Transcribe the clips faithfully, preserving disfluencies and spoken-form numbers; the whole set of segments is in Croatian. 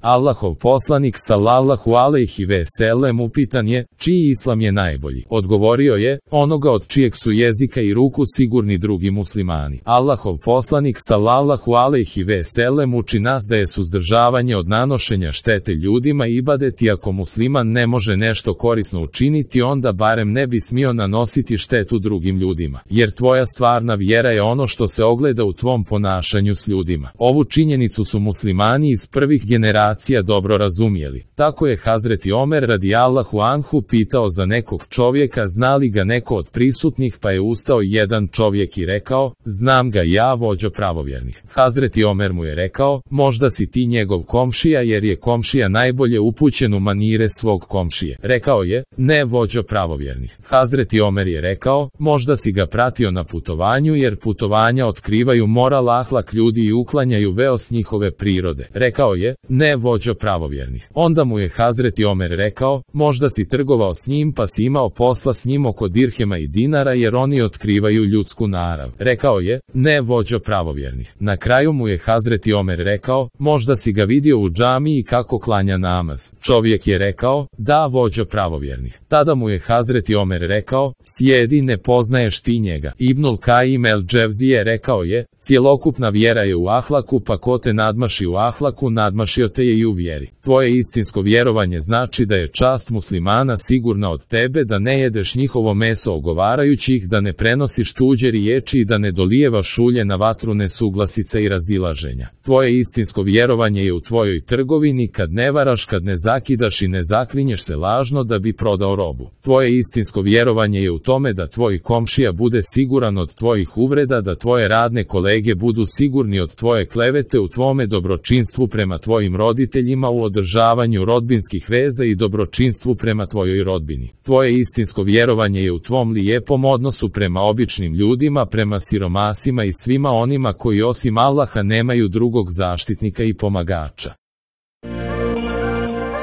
Allahov poslanik sallallahu alejhi ve sellem upitan je, čiji islam je najbolji? Odgovorio je, onoga od čijeg su jezika i ruku sigurni drugi muslimani. Allahov poslanik sallallahu alejhi ve sellem uči nas da je suzdržavanje od nanošenja štete ljudima ibadet, i ako musliman ne može nešto korisno učiniti, onda barem ne bi smio nanositi štetu drugim ljudima, jer tvoja stvarna vjera je ono što se ogleda u tvom ponašanju s ljudima. Ovu činjenicu su muslimani iz prvih generacija dobro razumjeli. Tako je Hazreti Omer radijallahu anhu pitao za nekog čovjeka zna li ga neko od prisutnih, pa je ustao jedan čovjek i rekao, znam ga ja, vođo pravovjernih. Hazreti Omer mu je rekao, možda si ti njegov komšija, jer je komšija najbolje upućen u manire svog komšije. Rekao je, ne, vođo pravovjernih. Hazreti Omer je rekao, možda si ga pratio na putovanju, jer putovanja otkrivaju moral, ahlak ljudi i uklanjaju veo s njihove prirode. Rekao je, ne, vođo pravovjernih. Onda mu je Hazreti Omer rekao, možda si trgovao s njim pa si imao posla s njim oko dirhema i dinara, jer oni otkrivaju ljudsku narav. Rekao je, ne, vođo pravovjernih. Na kraju mu je Hazreti Omer rekao, možda si ga vidio u džamiji kako klanja namaz. Čovjek je rekao, da, vođo pravovjernih. Tada mu je Hazreti Omer rekao, sjedi, ne poznaješ ti njega. Ibnul Kajim el Dževzije rekao je, cjelokupna vjera je u ahlaku, pa ko te nadmaši u ahlaku, nadmašio te je i u vjeri. Tvoje istinsko vjerovanje znači da je čast muslimana sigurna od tebe, da ne jedeš njihovo meso ogovarajući ih, da ne prenosiš tuđe riječi i da ne dolijevaš ulje na vatru nesuglasica i razilaženja. Tvoje istinsko vjerovanje je u tvojoj trgovini, kad ne varaš, kad ne zakidaš i ne zaklinješ se lažno da bi prodao robu. Tvoje istinsko vjerovanje je u tome da tvoj komšija bude siguran od tvojih uvreda, da tvoje radne kolege budu sigurni od tvoje klevete, u tvome dobročinstvu prema tvojim roditeljima, u održavanju rodbinskih veza i dobročinstvu prema tvojoj rodbini. Tvoje istinsko vjerovanje je u tvom lijepom odnosu prema običnim ljudima, prema siromasima i svima onima koji osim Allaha nemaju drugog zaštitnika i pomagača.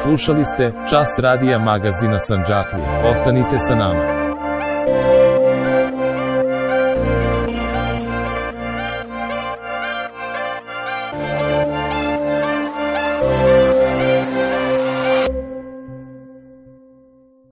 Slušali ste Čas radija magazina Sandžaklija. Ostanite sa nama.